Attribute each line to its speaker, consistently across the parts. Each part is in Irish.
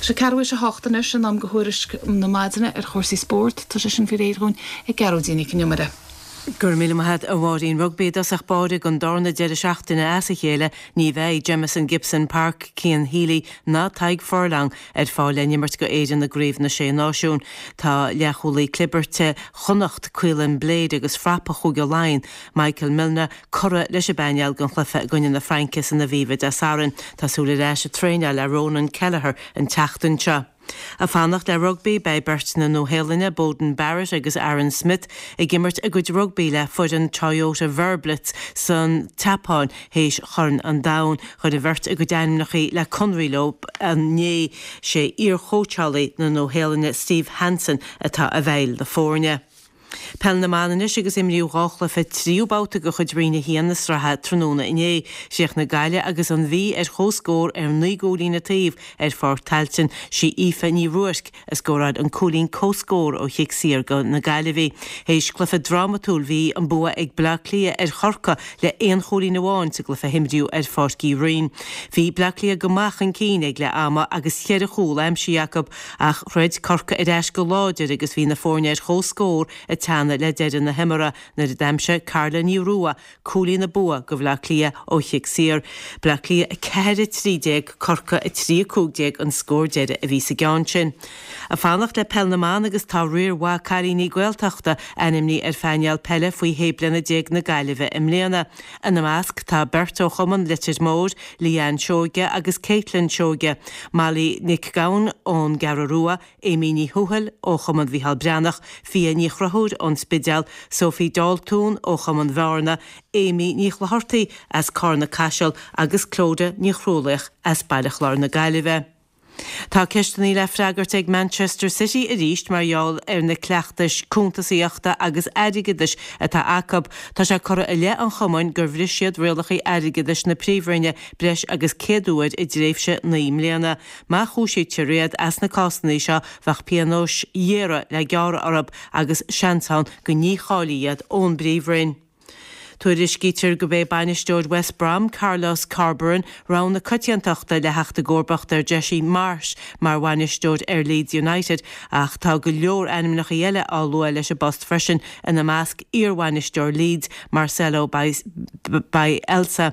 Speaker 1: Tá sé ceathrú théis a hocht anois, in am do thuairisc na maidine ar chúrsaí spóirt. Tá sé sin faoi réir dhúinn ag Gearóidín Nic an Iomaire.
Speaker 2: Go raibh míle maith a't, a Mháirín. Rugbaí i dtosach báire don darna deireadh seachtaine as a chéile, ní bheidh Jamison Gibson Park, Cian Healy ná Tadhg Furlong ar fáil le n-imirt go Éirinn i gCraobh na Sé Náisiún. Tá leathchúlaí clibirte Chonnacht, Caolin Blade agus frapa Chúige Laighean, Michael Milne, curtha leis an bpainéal don chluiche i gcoinne na Fraince san Aviva Dé Sathairn. Tá súil ar ais ag traenáil le Ronan Kelleher an tseachtain seo. Ag fanacht le rugbaí, beidh beirt na Nua-Shéalainne, Beauden Barrett agus Aaron Smith, ag imirt a gcuid rugbaí le foireann Toyota Verblitz san tSeapáin théis Chorn an Domhain. Chuir an bheirt a gcuid ainmneacha le conraí leo inné. Sé iar-chóitseálaí na Nua-Shéalainne Steve Hansen atá i bhfeighil na foirne. Peil na mBan anois agus imríodh 2 chluiche tríú babhta de chuid Roinn 1 na sraithe tráthnóna inné. Chríochnaigh Gaillimh agus an Mhí ar comhscór ar 9 gcúilín an taobh ar Pháirc Tailteann. Sí Aoife Ní Ruairc a scóráil an cúilín comhscór ó chic saor do na Gaillimhigh. Théis cluiche drámatúil bhí an bua ag Bleá Cliath ar Chorcaigh le aon chúilín amháin sa gcluiche a himríodh ar Pháirc Uí Rinn. Bhí Bleá Cliath go maith chun cinn ag leath ama agus cheithre chúl aimsithe acu Ach throid Corcaigh ar ais go láidir agus bhí na foirne ar comhscór ag teannadh le deireadh na himeartha nuair a d'aimsigh Carla Ní Rua cúilín an bua do Bhleá Cliath ó chic saor. Bleá Cliath 4, 13, Corcaigh 3, 15 an scór deiridh a bhí sa gceann sin. Ag fanacht le Peil na mBan agus tá riar mhaith cailíní Gaeltachta ainmnithe ar phainéal peile faoi 16 bliana na Gaillimhe i mbliana. Ina measc tá beirt ó chumann Leitir Móir, Leanne Seoige agus Caitlin Seoige, Molly Nic Gabhann ón gCeathrú Rua, Amy Ní Thuathail ó Chumann Mhícheál Breathnach, Fia Ní Chonchúir ón Spidéal, Sophie Daltún ó Chumann Bhearna, Amy Ní Chlochartaigh as Carna Caiseal agus Clodagh Ní Chrualaoich as Baile Chláir na Gaillimhe. Tá ceisteanna le freagairt ag Manchester City arís mar gheall ar na cleachtais cuntasaíochta agus airgeadais atá acu. Tá sé curtha i leith an chumainn gur bhris siad rialacha airgeadais na Príomhroinne breis agus 100 uair i dtréimhse 9 mbliana. Má chúisítear iad as na cásanna seo bheadh pionóis ghéara le gearradh orthu agus seans ann go ndícháileofaí iad ón bPríomhroinn. Tuairiscítear gurb é bainisteoir West Brom, Carlos Corberán, rogha na coitiantachta le theacht i gcomharbacht ar Jesse Marsch mar bhainisteoir ar Leeds United ach tá go leor ainmneacha eile á lua leis an bpost freisin, ina measc iarbhainisteoir Leeds, Marcelo Bielsa.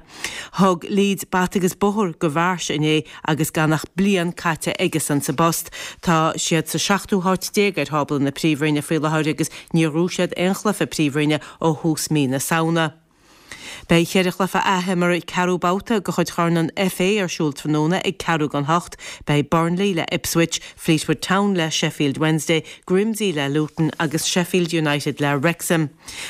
Speaker 2: Thug Leeds bata agus bóthar do Mharsch inné agus gan ach bliain caite aigesan sa bpost. Tá siad sa seachtú háit déag ar thábla na Príomhroinne faoi láthair agus níor ghnóthaigh siad aon chluiche Príomhroinne ó thús mí na Samhna. Beidh cheithre chluiche athimeartha ceathrú babhta de chuid Chorn an FA ar siúl tráthnóna ag ceathrú don hocht. Beidh Burnley le Ipswich, Fleetwood Town le Sheffield Wednesday, Grimsby le Luton agus Sheffield United le Wrexham.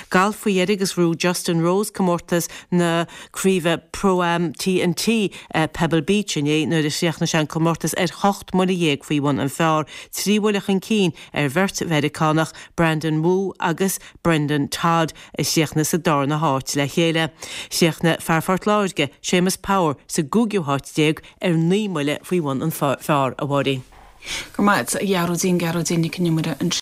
Speaker 2: Galf faoi dheireadh agus ghnóthaigh Justin Rose comórtas na Craoibhe Pro-Am TNT Pebble Beach inné nuair a chríochnaigh sé an comórtas ar hocht mbuille dhéag faoi bhun an phar, 3 bhuille chun cinn ar bheirt Mheiriceánach, Brandon Wu agus Brendon Todd, a chríochnaigh sa darna háit le chéile. Chríochnaigh fear Phort Láirge, Séamus Power, sa gcúigiú háit déag ar 9 mbuille faoi bhun an phar, a Mháirín.
Speaker 1: Go raibh maith agat, a Ghearóidín, Gearóidín Nic an Iomaire ansin.